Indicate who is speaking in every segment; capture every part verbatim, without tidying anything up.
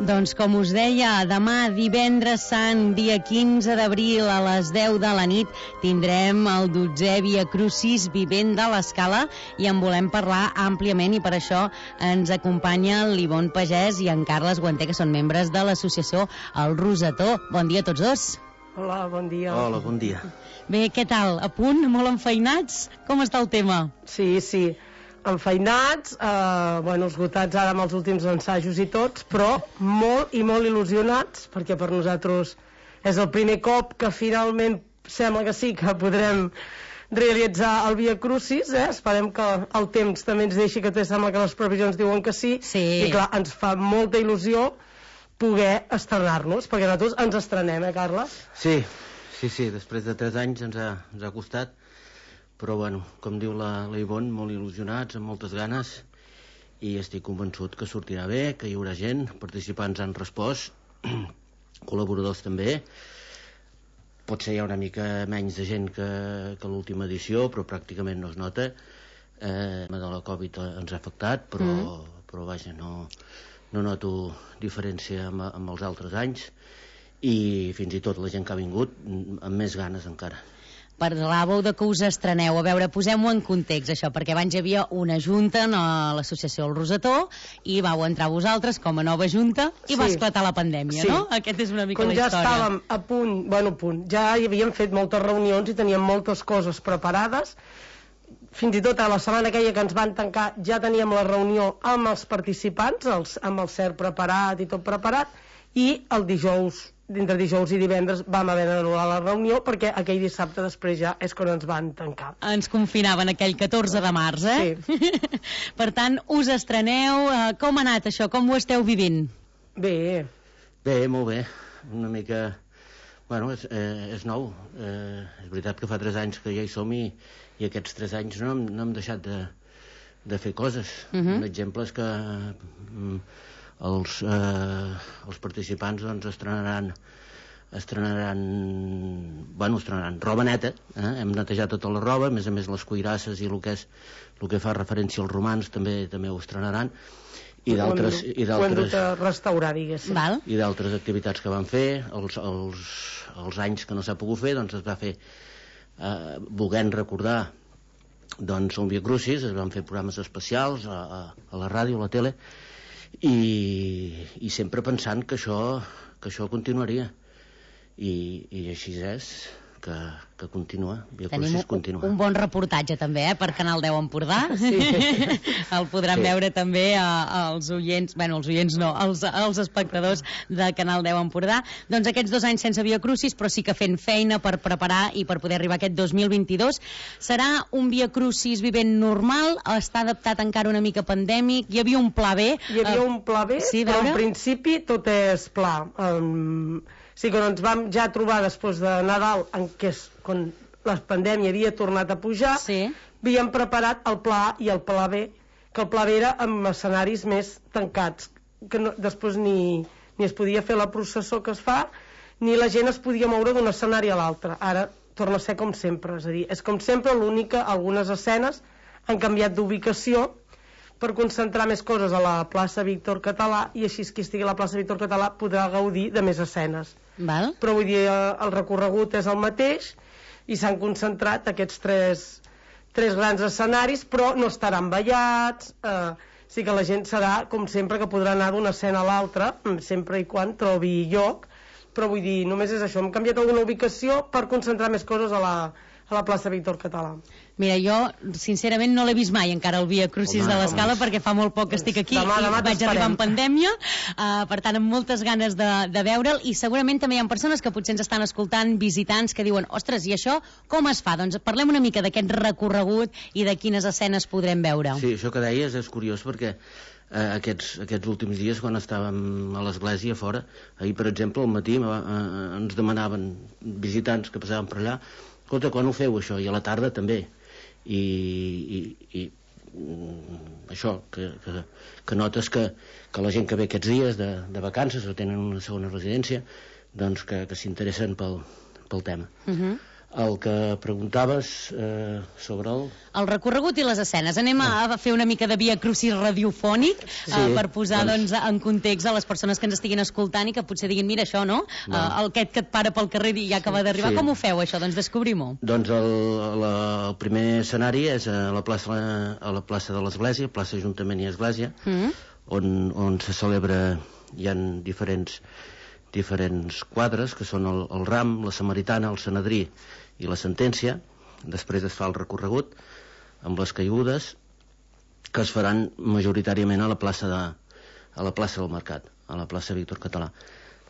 Speaker 1: Doncs com us deia, demà divendres sant, dia quinze d'abril a les deu de la nit tindrem el dotzè Via Crucis Vivent de l'Escala i en volem parlar àmpliament i per això ens acompanya l'Ivonne Pagès i en Carles Guanter, que són membres de l'associació El Rosetó. Bon dia a tots dos.
Speaker 2: Hola, bon dia.
Speaker 3: Hola, bon dia.
Speaker 1: Bé, què tal? A punt? Molt enfeinats? Com està el tema?
Speaker 2: Sí, sí. Enfeinats, eh, bueno, esgotats ara amb els últims ensajos i tots, però molt i molt il·lusionats, perquè per nosaltres és el primer cop que finalment sembla que sí, que podrem realitzar el Via Crucis, eh? Esperem que el temps també ens deixi, que té, sembla que les previsions diuen que sí,
Speaker 1: sí.
Speaker 2: I clar, ens fa molta il·lusió poder estrenar-nos, perquè nosaltres ens estrenem, eh, Carles?
Speaker 3: Sí, sí, sí, després de tres anys ens ha, ens ha costat, però bueno, com diu la, la Ivonne, molt il·lusionats, amb moltes ganes, i estic convençut que sortirà bé, que hi haurà gent, participants han respost, col·laboradors també. Potser hi ha una mica menys de gent que, que l'última edició, però pràcticament no es nota. Eh, de la Covid ens ha afectat, però, mm. però vaja, no, no noto diferència amb, amb els altres anys, i fins i tot la gent que ha vingut amb més ganes encara.
Speaker 1: Parlàveu de que us estreneu. A veure, posem-ho en context, això, perquè abans hi havia una junta a l'associació El Rosetó i vau entrar vosaltres com a nova junta i sí. Va esclatar la pandèmia, sí. No? Aquest és una mica
Speaker 2: com
Speaker 1: la
Speaker 2: ja
Speaker 1: història.
Speaker 2: Com ja estàvem a punt, bueno, a punt, ja hi havíem fet moltes reunions i teníem moltes coses preparades. Fins i tot a la setmana aquella que ens van tancar ja teníem la reunió amb els participants, els, amb el C E R preparat i tot preparat, i el dijous, entre dijous i divendres vam haver d'anul·lar la reunió perquè aquell dissabte després ja és quan ens van tancar.
Speaker 1: Ens confinaven aquell catorze de març, eh?
Speaker 2: Sí.
Speaker 1: Per tant, us estreneu. Com ha anat això? Com ho esteu vivint?
Speaker 2: Bé.
Speaker 3: Bé, molt bé. Una mica... Bueno, és, eh, és nou. Eh, és veritat que fa tres anys que ja hi som i, i aquests tres anys no hem, no hem deixat de, de fer coses. Uh-huh. Un exemple és que... Mm, els, eh, els participants doncs estrenaran estrenaran bueno, estrenaran roba neta, eh? Hem netejat tota la roba, a més a més les cuirasses i el que és el que fa referència als romans també també ho estrenaran i d'altres i d'altres
Speaker 2: restaurar, diguéssim.
Speaker 1: Val.
Speaker 3: I d'altres activitats que van fer els, els, els anys que no s'ha pogut fer doncs es va fer eh, volent recordar doncs el Via Crucis, es van fer programes especials a, a, a la ràdio, a la tele I, i sempre pensant que això, que això continuaria i, i així és que, que continua. Via Crucis continua.
Speaker 1: Un bon reportatge també, eh, per Canal deu Empordà.
Speaker 2: Sí.
Speaker 1: El podran sí. veure també als oients, bueno, els oients no, als, als espectadors de Canal deu Empordà. Doncs aquests dos anys sense Via Crucis, però sí que fent feina per preparar i per poder arribar a aquest dos mil vint-i-dos. Serà un Via Crucis vivent normal? Està adaptat encara una mica pandèmic? Hi havia un pla B?
Speaker 2: Hi havia uh, un pla B, sí, però en principi tot és pla. Um, sí, quan ens vam ja trobar després de Nadal, en què és quan la pandèmia havia tornat a pujar,
Speaker 1: sí.
Speaker 2: Havíem preparat el pla A i el pla B, que el pla B era amb escenaris més tancats, que no, després ni, ni es podia fer la processó que es fa, ni la gent es podia moure d'un escenari a l'altre. Ara torna a ser com sempre, és a dir, és com sempre, l'únic que algunes escenes han canviat d'ubicació per concentrar més coses a la plaça Víctor Català i així qui estigui a la plaça Víctor Català podrà gaudir de més escenes.
Speaker 1: Val.
Speaker 2: Però vull dir, el recorregut és el mateix i s'han concentrat aquests tres, tres grans escenaris, però no estaran ballats, eh, sí que la gent serà com sempre que podrà anar d'una escena a l'altra sempre i quan trobi lloc, però vull dir, només és això, hem canviat alguna ubicació per concentrar més coses a la, a la plaça Víctor Català.
Speaker 1: Mira, jo sincerament no l'he vist mai encara el Via Crucis home, de l'Escala, perquè fa molt poc que estic aquí
Speaker 2: demà, demà
Speaker 1: i vaig arribar en pandèmia, uh, per tant amb moltes ganes de, de veure'l, i segurament també hi ha persones que potser ens estan escoltant, visitants que diuen, ostres, i això com es fa? Doncs parlem una mica d'aquest recorregut i de quines escenes podrem veure.
Speaker 3: Sí, això que deies és curiós perquè eh, aquests, aquests últims dies quan estàvem a l'església fora, ahir per exemple al matí eh, ens demanaven visitants que passaven per allà, escolta, quan ho feu això? I a la tarda també. I, i, i això que, que, que notes que, que la gent que ve aquests dies de, de vacances o tenen una segona residència doncs que, que s'interessen pel, pel tema. Uh-huh. El que preguntaves eh, sobre el...
Speaker 1: El recorregut i les escenes. Anem a, a fer una mica de via crucis radiofònic sí, eh, per posar doncs, doncs, en context a les persones que ens estiguin escoltant i que potser diguin, mira això, no? no. Uh, el aquest que et para pel carrer i ja acaba d'arribar. Sí. Com ho feu, això? Doncs descobrim-ho.
Speaker 3: Doncs el, la, el primer escenari és a la plaça, a la plaça de l'Església, plaça Ajuntament i Església, mm. on, on se celebra, hi ha diferents, diferents quadres, que són el, el ram, la samaritana, el sanedrí i la sentència. Després es fa el recorregut amb les caigudes que es faran majoritàriament a la plaça de, a la plaça del Mercat, a la plaça Víctor Català.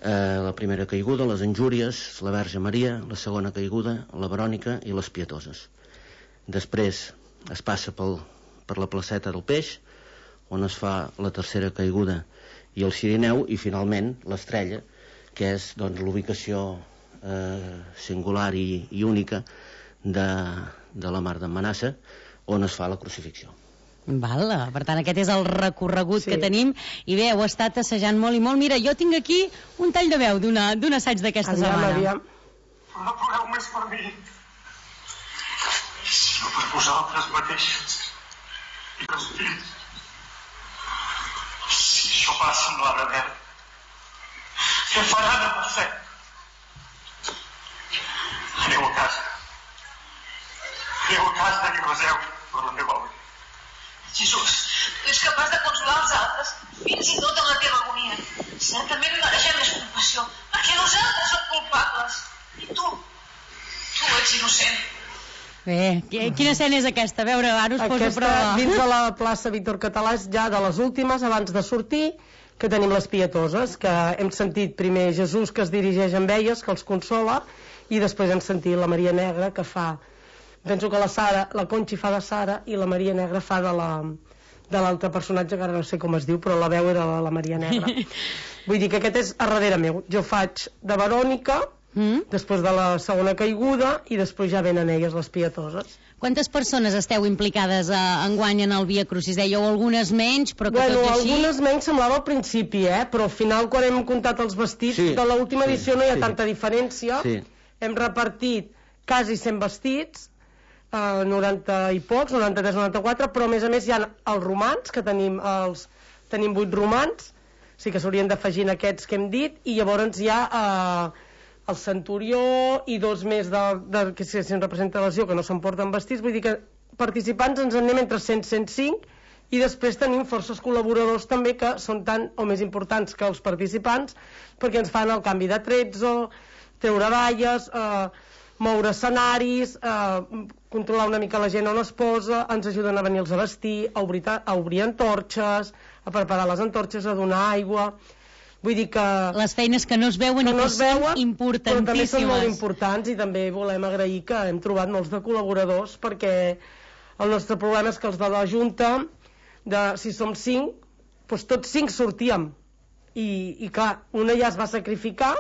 Speaker 3: Eh, la primera caiguda, les Injúries, la Verge Maria, la segona caiguda, la Verònica i les Pietoses. Després es passa pel, per la placeta del Peix, on es fa la tercera caiguda i el Cirineu, i finalment l'Estrella, que és doncs, l'ubicació Eh, singular i, i única de, de la Mar d'en Manassa, on es fa la crucifixió.
Speaker 1: Val, per tant aquest és el recorregut sí. que tenim, i bé, heu estat assajant molt i molt. Mira, jo tinc aquí un tall de veu d'un assaig d'aquesta setmana.
Speaker 4: Aviam. No ploreu més per mi, sinó per vosaltres mateixes i pels fills. Si això passa amb la Rebel, què faran amb el set? Aneu a casa. Aneu a casa i reseu per la meva obra.
Speaker 5: Jesús, tu ets capaç de consolar els altres, fins i tot en la teva agonia. Certament mereixem més compassió, perquè nosaltres som culpables. I tu, tu ets innocent.
Speaker 1: Bé, quina escena és aquesta? A veure, ara us poso a prova.
Speaker 2: Dins de la plaça Víctor Català és ja de les últimes, abans de sortir, que tenim les Pietoses, que hem sentit primer Jesús que es dirigeix amb elles, que els consola, i després hem sentit la Maria Negra, que fa, penso que la Sara, la Conxi fa de Sara, i la Maria Negra fa de la de l'altre personatge, que ara no sé com es diu, però la veu era la, la Maria Negra. Vull dir que aquest és a darrere meu. Jo faig de Verònica, mm? després de la segona caiguda, i després ja venen elles, les Pietoses.
Speaker 1: Quantes persones esteu implicades a, enguany en el Via Crucis? Dèieu algunes menys, però que
Speaker 2: bueno,
Speaker 1: tot i així...
Speaker 2: algunes menys semblava al principi, eh? Però al final, quan hem comptat els vestits, sí, de l'última sí, edició no hi ha sí. tanta diferència. Sí. Hem repartit quasi cent vestits, eh, noranta i pocs, noranta-tres noranta-quatre, però a més a més hi ha els romans, que tenim els tenim vuit romans, sí que s'haurien d'afegir en aquests que hem dit, i llavors hi ha eh, el centurió i dos més de, de, que si, si en representació que no s'emporten vestits. Vull dir que participants ens en anem entre cent i cent cinc, i després tenim forces col·laboradors també que són tan o més importants que els participants, perquè ens fan el canvi de tretzo, treure valles, eh, moure escenaris, eh, controlar una mica la gent on es posa, ens ajuden a venir-los a vestir, a obrir, a obrir antorxes, a preparar les antorxes, a donar aigua. Vull dir que...
Speaker 1: Les feines que no es veuen i
Speaker 2: no
Speaker 1: que són importantíssimes.
Speaker 2: Però també són molt importants, i també volem agrair que hem trobat molts de col·laboradors, perquè el nostre problema és que els de la Junta, de, si som cinc, doncs tots cinc sortíem. I, i clar, una ja es va sacrificar,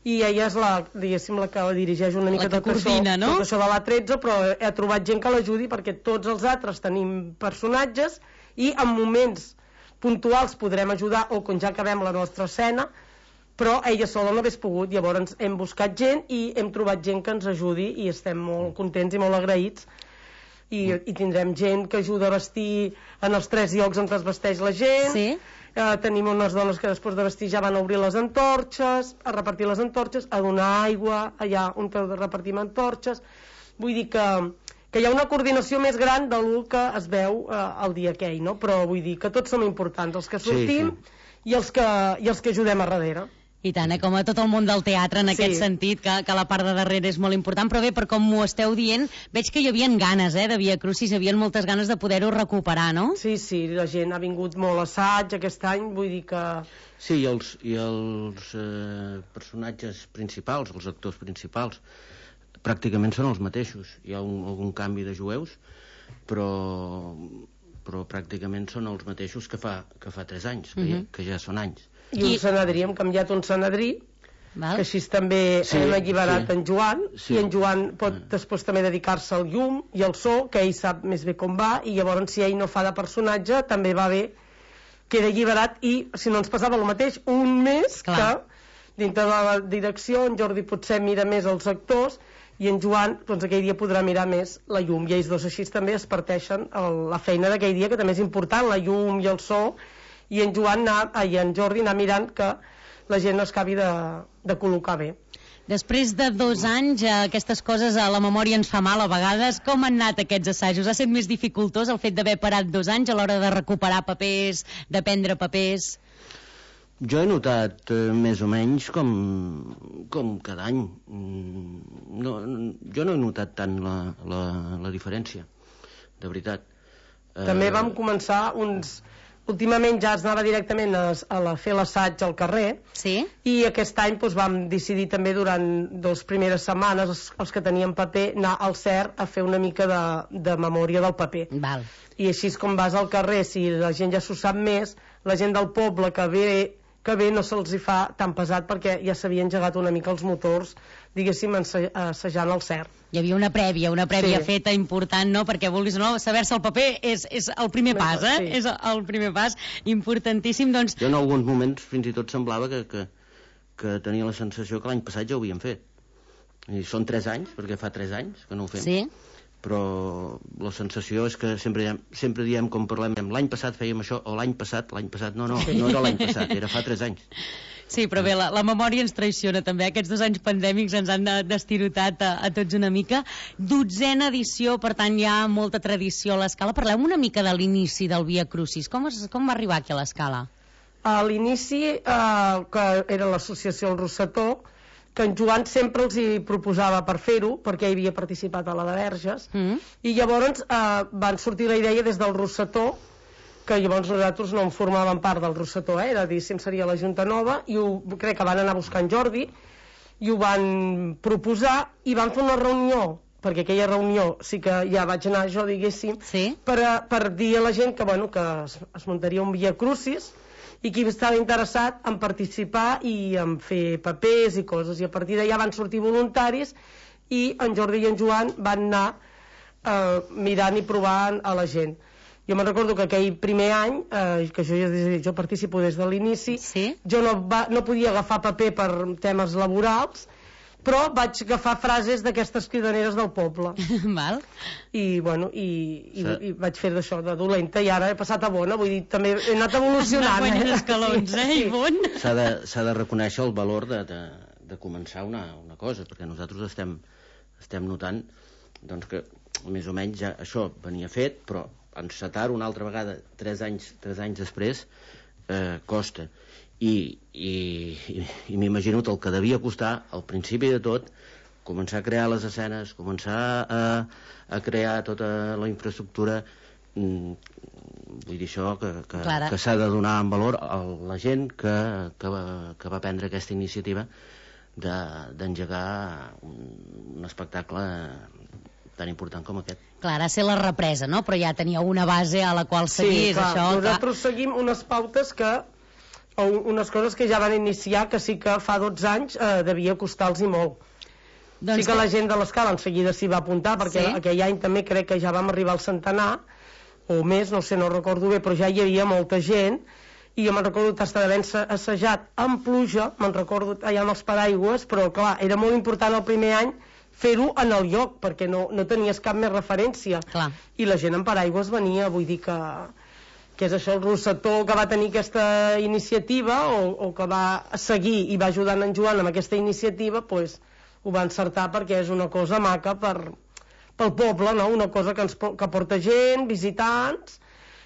Speaker 2: i ella és la, diguéssim, la que dirigeix una mica tot,
Speaker 1: coordina,
Speaker 2: això,
Speaker 1: no?
Speaker 2: tot això de la tretze, però he trobat gent que l'ajudi, perquè tots els altres tenim personatges i en moments puntuals podrem ajudar, o quan ja acabem la nostra escena, però ella sola no hagués pogut. Llavors hem buscat gent i hem trobat gent que ens ajudi, i estem molt contents i molt agraïts, i, i tindrem gent que ajuda a vestir en els tres llocs on es vesteix la gent.
Speaker 1: Sí.
Speaker 2: Eh, tenim unes dones que després de vestir ja van a obrir les antorxes, a repartir les antorxes, a donar aigua allà on repartim antorxes. Vull dir que, que hi ha una coordinació més gran del que es veu eh, el dia aquell, no? Però vull dir que tots som importants, els que sortim sí, sí. I, els que, i els que ajudem a darrere.
Speaker 1: I tant, eh? Com a tot el món del teatre, en sí. aquest sentit, que, que la part de darrere és molt important. Però bé, per com m'ho esteu dient, veig que hi havia ganes, eh, de Via Crucis, hi havia moltes ganes de poder-ho recuperar, no?
Speaker 2: Sí, sí, la gent ha vingut molt a assaig aquest any, vull dir que...
Speaker 3: Sí, i els, i els eh, personatges principals, els actors principals, pràcticament són els mateixos. Hi ha un, algun canvi de jueus, però, però pràcticament són els mateixos que fa, que fa tres anys, que, uh-huh. ja, que ja són anys.
Speaker 2: I un senedrí, hem canviat un senedrí, val? Que així també sí, hem alliberat sí. en Joan, sí. i en Joan pot ah. després també dedicar-se al llum i al so, que ell sap més bé com va, i llavors si ell no fa de personatge també va bé, queda alliberat, i si no ens passava el mateix, un mes Clar. que dintre de la direcció en Jordi potser mira més els actors, i en Joan doncs, aquell dia podrà mirar més la llum, i ells dos així també es parteixen el, la feina d'aquell dia, que també és important, la llum i el so, i en Joan anar, i en Jordi anar mirant que la gent es acabi de, de col·locar bé.
Speaker 1: Després de dos anys, aquestes coses a la memòria ens fa mal a vegades. Com han anat aquests assajos? Ha estat més dificultós el fet d'haver parat dos anys a l'hora de recuperar papers, d'aprendre papers?
Speaker 3: Jo he notat eh, més o menys com, com cada any. No, jo no he notat tant la, la, la diferència, de veritat.
Speaker 2: També vam començar uns... Últimament ja es anava directament a, a la, fer l'assaig al carrer,
Speaker 1: sí?
Speaker 2: I aquest any doncs, vam decidir també durant dues primeres setmanes, els, els que teníem paper, anar al C E R a fer una mica de, de memòria del paper.
Speaker 1: Val.
Speaker 2: I així com vas al carrer, si la gent ja s'ho sap més, la gent del poble que ve, que ve no se'ls hi fa tan pesat perquè ja s'havien engegat una mica els motors, diguéssim, assajant al C E R.
Speaker 1: Hi havia una prèvia, una prèvia
Speaker 2: sí.
Speaker 1: feta important, no? Perquè vulguis o no, saber-se el paper és, és el primer pas, eh?
Speaker 2: Sí.
Speaker 1: És el primer pas importantíssim, doncs...
Speaker 3: Jo en alguns moments fins i tot semblava que, que, que tenia la sensació que l'any passat ja ho havíem fet. I són tres anys, perquè fa tres anys que no ho fem.
Speaker 1: Sí.
Speaker 3: Però la sensació és que sempre diem, sempre diem com parlem, l'any passat fèiem això, o l'any passat, l'any passat, no, no, no era l'any passat, era fa tres anys.
Speaker 1: Sí, però bé, la, la memòria ens traiciona també. Aquests dos anys pandèmics ens han destirotat a, a tots una mica. Dotzena edició, per tant hi ha molta tradició a l'Escala. Parlem una mica de l'inici del Via Crucis. Com, es, com va arribar aquí a l'Escala?
Speaker 2: A l'inici, eh, que era l'associació El Rossetó, que en Joan sempre els hi proposava per fer-ho, perquè ell havia participat a la de Verges, mm. i llavors eh, van sortir la idea des del Rossetó, que llavors nosaltres no en formàvem part del Rossetó, eh? Era dir, sempre seria la Junta Nova, i ho, crec que van anar buscant Jordi, i ho van proposar, i van fer una reunió, perquè aquella reunió sí que ja vaig anar jo, diguéssim,
Speaker 1: sí?
Speaker 2: per, a, per dir a la gent que, bueno, que es, es muntaria un Via Crucis, i qui estava interessat en participar i en fer papers i coses, i a partir d'allà van sortir voluntaris, i en Jordi i en Joan van anar eh, mirant i provant a la gent. Jo me'n recordo que aquell primer any, eh, que jo, jo participo des de l'inici,
Speaker 1: sí?
Speaker 2: jo no, va, no podia agafar paper per temes laborals, però vaig agafar frases d'aquestes cridaneres del poble.
Speaker 1: Val.
Speaker 2: I, bueno, i, i, sí. i vaig fer d'això, de dolenta, i ara he passat a bona, vull dir, també he anat evolucionant.
Speaker 1: Guanyant escalons, eh,
Speaker 2: sí.
Speaker 1: Ivonne?
Speaker 3: S'ha de, s'ha de reconèixer el valor de, de, de començar una, una cosa, perquè nosaltres estem, estem notant doncs, que més o menys ja això venia fet, però encetar una altra vegada tres anys, tres anys després eh, costa i, i, i, i m'imagino el que devia costar al principi de tot començar a crear les escenes, començar a, a crear tota la infraestructura, mm, vull dir això que, que, que s'ha de donar en valor a la gent que, que, va, que va prendre aquesta iniciativa d'engegar un, un espectacle tan important com aquest.
Speaker 1: Clar, ha de ser la represa, no? Però ja tenia una base a la qual seguir.
Speaker 2: Sí, clar,
Speaker 1: això,
Speaker 2: nosaltres
Speaker 1: clar.
Speaker 2: seguim unes pautes que, o unes coses que ja van iniciar, que sí que fa dotze anys eh, devia costar-los i molt. Doncs sí que, que la gent de l'Escala en seguida s'hi va apuntar, perquè sí? Aquell any també crec que ja vam arribar al centenar, o més, no sé, no recordo bé, però ja hi havia molta gent, i jo me'n recordo d'estar d'haver assajat amb pluja, me'n recordo allà amb els paraigües, però clar, era molt important el primer any fer-ho en el lloc, perquè no, no tenies cap més referència.
Speaker 1: Clar.
Speaker 2: I la gent en paraigües venia, vull dir que, que és això el Rossetó que va tenir aquesta iniciativa, o, o que va seguir i va ajudar en Joan amb aquesta iniciativa, pues, ho va encertar perquè és una cosa maca per, pel poble, no? Una cosa que, ens, que porta gent, visitants,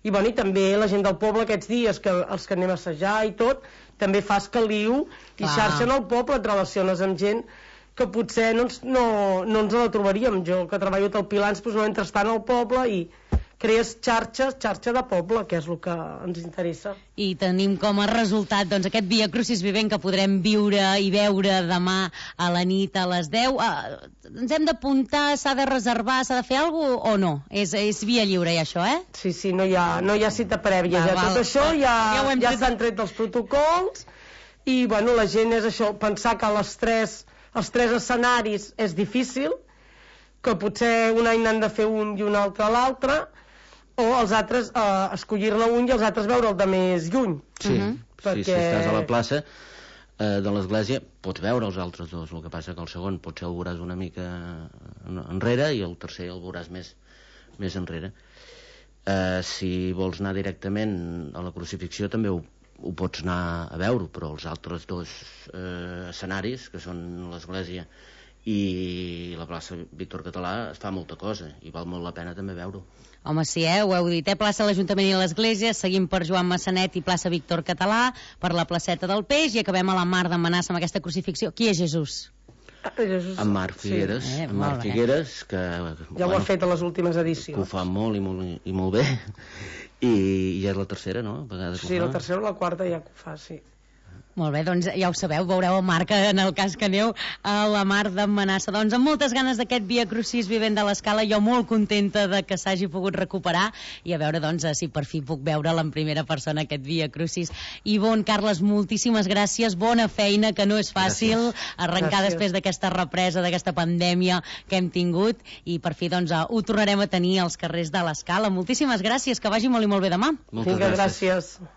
Speaker 2: i, bueno, i també la gent del poble aquests dies, que els que anem a assajar i tot, també fas caliu i
Speaker 1: Clar.
Speaker 2: xarxa en el poble, et relaciones amb gent que potser no ens, no, no ens la trobaríem. Jo, que treballo al Pilans, doncs no entres tant al poble i crees xarxa, xarxa de poble, que és el que ens interessa.
Speaker 1: I tenim com a resultat doncs, aquest Via Crucis vivent que podrem viure i veure demà a la nit a les deu. Uh, ens hem d'apuntar, s'ha de reservar, s'ha de fer alguna cosa o no? És, és via lliure, ja, això, eh?
Speaker 2: Sí, sí, no hi ha, no hi ha cita prèvia.
Speaker 1: Va,
Speaker 2: ja.
Speaker 1: val,
Speaker 2: Tot això ja,
Speaker 1: ja,
Speaker 2: ja s'han tret dels protocols i, bueno, la gent és això, pensar que les tres... els tres escenaris és difícil, que potser un any n'han de fer un i un altre l'altre, o els altres eh, escollir-ne un i els altres veure'l de més lluny.
Speaker 3: Sí, uh -huh.
Speaker 2: perquè...
Speaker 3: sí, si estàs a la plaça eh, de l'església pots veure els altres dos, el que passa que el segon potser el veuràs una mica enrere i el tercer el veuràs més, més enrere. Eh, si vols anar directament a la crucifixió també ho, ho pots anar a veure, però els altres dos eh, escenaris, que són l'església i la plaça Víctor Català, es fa molta cosa i val molt la pena també veure-ho.
Speaker 1: Home, sí, eh? Ho heu dit, eh? Plaça l'Ajuntament i l'Església, seguim per Joan Massanet i plaça Víctor Català, per la placeta del Peix i acabem a la Mar de Manassa amb aquesta crucifixió. Qui és Jesús?
Speaker 2: Ah, Jesús.
Speaker 3: En Marc Figueres,
Speaker 1: sí. eh,
Speaker 3: en Marc Figueres, que
Speaker 2: ja
Speaker 3: bueno,
Speaker 2: ho ha fet a les últimes edicions.
Speaker 3: Que ho fa molt i molt, i molt bé, i, i ja és la tercera, no? A
Speaker 2: sí, la tercera o la quarta ja que ho fa, sí.
Speaker 1: Molt bé, doncs ja ho sabeu, veureu el Marc en el cas que aneu a la Mar de Manassa. Doncs amb moltes ganes d'aquest Via Crucis Vivent de l'Escala, jo molt contenta de que s'hagi pogut recuperar i a veure doncs si per fi puc veure'l en primera persona aquest Via Crucis. Ivonne, Carles, moltíssimes gràcies, bona feina, que no és fàcil gràcies. Arrencar gràcies. Després d'aquesta represa, d'aquesta pandèmia que hem tingut i per fi doncs ho tornarem a tenir als carrers de l'Escala. Moltíssimes gràcies, que vagi molt i molt bé demà.
Speaker 3: Moltes
Speaker 2: Vinga,
Speaker 3: gràcies.
Speaker 2: gràcies.